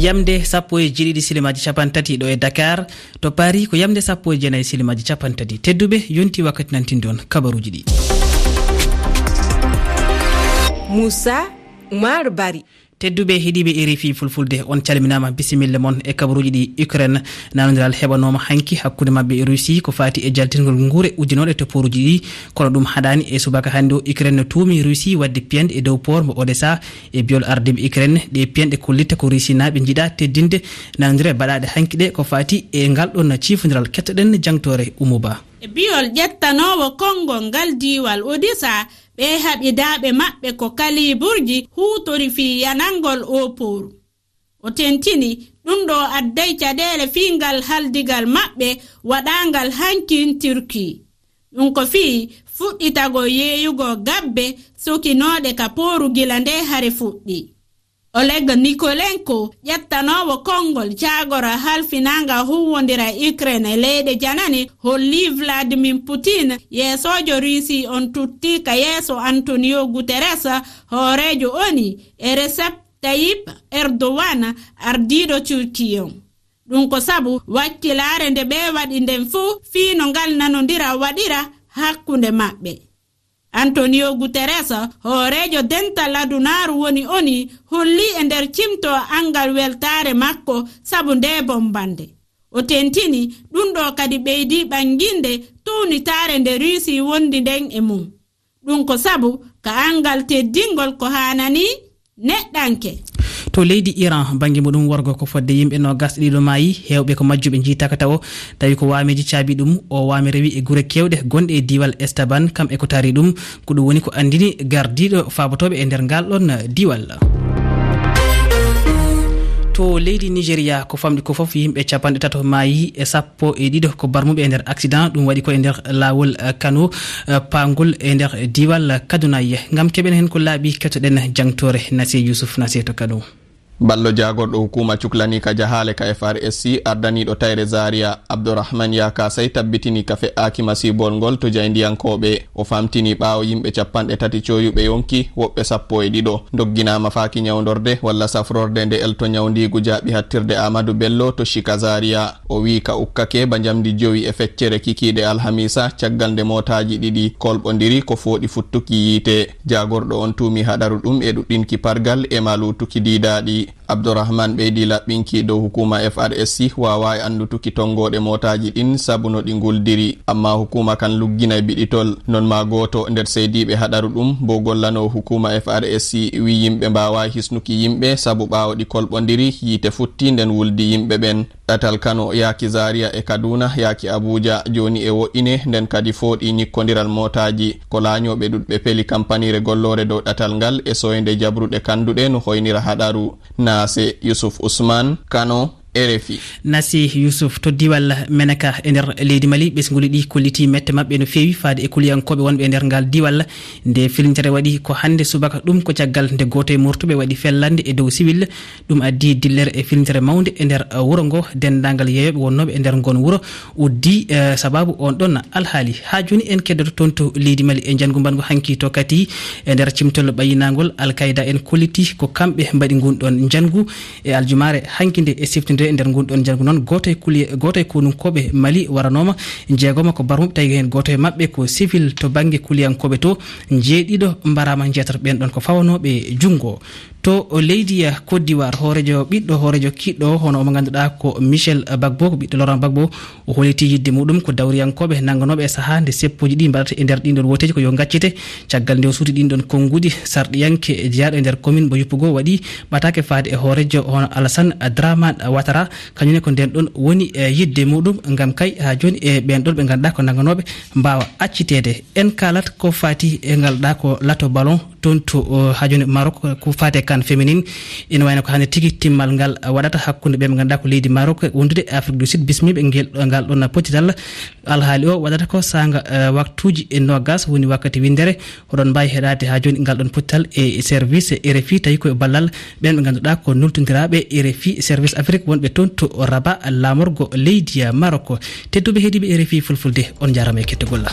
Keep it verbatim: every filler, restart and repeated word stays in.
Yamde sappo e jeeɗiɗi silimaaji capanɗe tati ɗo e Dakar, to Paris ko yamde sappo e jeenayi silimaaji capanɗe tati. Tedduɓe, yonti wakkati nantinde on kabaruuji ɗi. Moussa Oumar Bari. Tedduɓe heɗiiɓe R F I Fulfulde, on calminaama, bisimilla mon e kabaruuji ɗi. Ukraine, nanondiral heɓanooma hanki hakkunde maɓɓe e Russie ko faati e jaltingol nguure uddinooɗe to pooruuji ɗi, kono ɗum haɗaani. E subaka hannde o, Ukraine no tuumi Russie waɗde piyanɗe e dow port mo Odessa. E biol ardiiɓe Ukraine, ɗe piyanɗe kollitta ko Rusinaaɓe njiɗa teddinde nanondire baɗaaɗe hanki ɗe ko faati e ngal ɗon ciifondiral. Kettoɗen jangtoore Oumou Ba. E biol ƴettanoowo konngol ngal diiwal Odessa, ɓee haɓidaaɓe maɓɓe ko kaliiburji huutori fii yanangol oo pooru. O tentini, ɗum ɗoo adday caɗeele fii ngal haldigal maɓɓe waɗaangal hankin Turkey. Ɗum ko fii fuɗɗitagol yeeyugol gabbe sokinooɗe ka pooru gila nde hare fuɗɗi. Oleg Nikolenko, ƴettanoowo konngol jaagora halfinaanga huuwondira Ukraine e leyɗe janane, holli Vladimir Putin, yeesoojo Russie on, tutti ka yeeso Antonio Guterres, hooreejo ONU, e Recep Tayyip Erdogan, ardiiɗo Turkey on. Ɗum ko sabu wakkilaare nde ɓe waɗi nden fuu fii no ngal nanondira waɗira hakkunde maɓɓe. Antonio Guterres, hooreejo dental adunaaru woni ONU, holli e nder cimto angal weltaare makko sabu ndee bombannde. O tentini, ɗum ɗoo kadi ɓeydi ɓannginde tuunitaare nde Russie wondi nden e mum. Ɗum ko sabu ka angal teddingol ko haanani neɗɗanke. To leydi Iran, bannge muɗum worgo ko fodde yimɓe noogas e ɗiɗo maayi, heewɓe ko majjuɓe njiitaaka tawo, tawi ko waameeji caabi ɗum. O waame rewi e gure keewɗe gonɗe e diiwal Estaban, kam e ko taari ɗum. Ko ɗum woni ko anndini gardiiɗo faabotooɓe e nder ngal ɗon diiwal. To leydi Nigeria, ko famɗi ko fof yimɓe capanɗe tato maayi e sappo e ɗiɗo ko barmuɓe e nder accident. Ɗum waɗi ko e nder laawol, eh, Kano, eh, paangol e nder diiwal Kaduna. Ngam keɓen heen ko laaɓi, kettoɗen jangtoore Nasiya Yusuf Nasiya to Kano. Ballo jaagorɗo hukuma cuklani ka jahaale ka F R S C, ardaniiɗo tayre Zaria, Abdourahmane Yaka Sey, tabbitini ka fe'aaki masiibol ngol to jaayndiyankooɓe. O famtini ɓaawo yimɓe capanɗe tati coyuɓe yonki, woɓɓe sappo e ɗiɗo ndogginaama faaki ñawndorde walla safrorde nde elto ñawndiigu jaaɓi hattirde Amadou Bello to Shika Zaria. O wi'i ka ukkake ba njamdi jowi e feccere kikiiɗe alhamiisa, caggal nde mootaaji ɗiɗi kolɓondiri ko fooɗi futtuki yiite. Jaagorɗo on tuumi haɗaru ɗum e ɗuɗɗinki pargal e ma luutuki diidaaɗi. Abdourahmane ɓeydi laɓɓinki dow hukuma F R S C waawaa e anndutuki tonngooɗe mootaaji ɗin sabu no ɗi nguldiri. Amma hukuma kan lugginay biɗitol. Non ma gooto nder seydiiɓe haɗaru ɗum, bo gollanoo hukuma F R S C, wi yimɓe mbaawaa hisnuki yimɓe sabu ɓaawo ɗi kolɓondiri, yiite futti nden wuldi yimɓe ɓen. Ɗatal Kano yaaki Zaria e Kaduna yaaki Abuja jooni e wo'ine, nden kadi fooɗi ñikkondiral mootaaji. Ko laañooɓe ɗuɗɓe peli kampaniire golloore dow ɗatal ngal e soynde jabruɗe kanduɗe no hoynira haɗaru. Naase Yusuf Usman, Kano, R F I. Nasi Yusuf to diiwal Menaka e nder leydi Mali, ɓesnguli ɗi kolliti mette maɓɓe no feewi faade e kuliyankooɓe wonɓe e nder ngal diiwal. Nde filintere waɗi ko hannde subaka, ɗum ko caggal nde gooto e mortuɓe waɗi fellande e dow siwil. Ɗum addi dillere e filintere mawnde e nder, eh, wuro ngo. Denndaangal yeeyooɓe wonnooɓe e nder ngon wuro uddi, eh, sababu on ɗon alhaali. Haa jooni en keddoto toon to leydi Mali e njanngu mbangu hanki to Kati e nder cimtol ɓayinaangol. Al-Qaida en kolliti ko kamɓe mbaɗi ngun ɗon njanngu. E aljumaare hanki nde e siftinde e nder ngun ɗon njanngu noon, gooto e kuli-, gooto e konunkooɓe Mali waranooma, jeegoma ko barmuɓe, tawi heen gooto e maɓɓe ko sivil to bannge kuliyankooɓe to, njeeɗiɗo mbaraama, njeetato ɓeen ɗon ko fawanooɓe junngo. To leydi, eh, Côte d'Ivoire, hooreejo, ɓiɗɗo hooreejo kiɗɗo, hono omo ngannduɗaa ko Michel Gbagbo, ko ɓiɗɗo Laurent Gbagbo, o holliti yiɗde muɗum ko dawriyankooɓe nannganooɓe e sahaa nde seppuuji ɗi mbaɗata e nder ɗiin ɗoon wooteeji ko yo ngaccite. Caggal nde o suuti ɗiin ɗoon konnguɗi, sarɗiyanke jeyaaɗo e nder commune mo Yopougon waɗi ɓataake faade e hooreejo hono Alassane Dramane Ouattara, kañum ne ko ndeen ɗoon woni, eh, yiɗde muɗum, ngam kay haa jooni e ɓeen ɗoon ɓe ngannduɗaa ko nannganooɓe mbaawa acciteede. En kaalat ko faati e ngal ɗaa ko lato ballon toon to, o, haa jooni Maroc, ko faati e CAN féminin. Ina wayno ko hannde tigi timmal ngal waɗata hakkunde ɓe ɓe ngannduɗaa ko leydi Maroc wondude e Afrique du Sud, bismiiɓe ngel, ngal ɗoon pottital. Alhaali o waɗata ko saanga, eh, waktuuji e noogas, woni wakkati winndere. Oɗon mbaawi heɗaade haa jooni ngal ɗoon pottital e service R F I, tawi ko e ballal ɓeen ɓe ngannduɗaa ko nultondiraaɓe R F I service Afrique wonɓe toon to Rabat, laamorgo leydi Maroc. Tedduɓe heɗiiɓe R F I Fulfulde, on njaaraama e kettugol.